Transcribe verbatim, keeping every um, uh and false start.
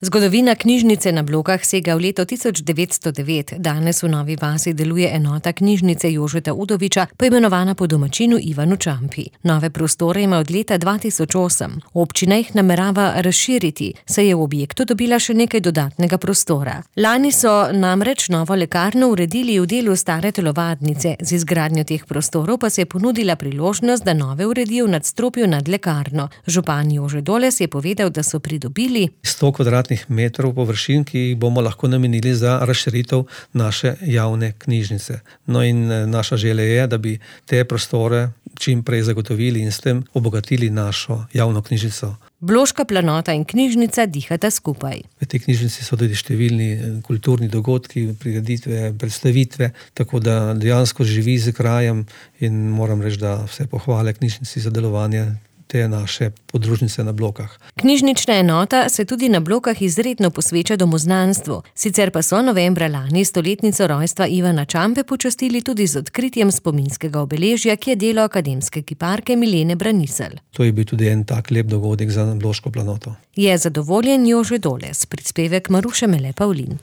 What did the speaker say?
Zgodovina knjižnice na Blokah sega v leto tisoč devetsto devet. Danes v Novi vasi deluje enota knjižnice Jožeta Udoviča, poimenovana po domačinu Ivanu Čampi. Nove prostore ima od leta dva tisoč osem. Občina jih namerava razširiti, saj je v objektu dobila še nekaj dodatnega prostora. Lani so namreč novo lekarno uredili v delu stare telovadnice. Z izgradnjo teh prostorov pa se je ponudila priložnost, da nove uredijo v nadstropju nad lekarno. Župan Jože Doles je povedal, da so pridobili sto kvadratnih metrov površin, ki jih bomo lahko namenili za razširitev naše javne knjižnice. No in naša želja je, da bi te prostore čim prej zagotovili in s tem obogatili našo javno knjižnico. Bloška planota in knjižnica dihata skupaj. V tej knjižnici so tudi številni kulturni dogodki, prireditve, predstavitve, tako da dejansko živi z krajem in moram reči, da vse pohvale knjižnici za delovanje te naše podružnice na Blokah. Knjižnična enota se tudi na Blokah izredno posveča domoznanstvu. Sicer pa so novembra lani stoletnico rojstva Ivana Čampe počastili tudi z odkritjem spominskega obeležja, ki je delo akademske kiparke Milene Braniselj. To je bil tudi en tak lep dogodek za Bloško planoto. Je zadovoljen Jože Doles, prispevek Maruše Mele Pavlin.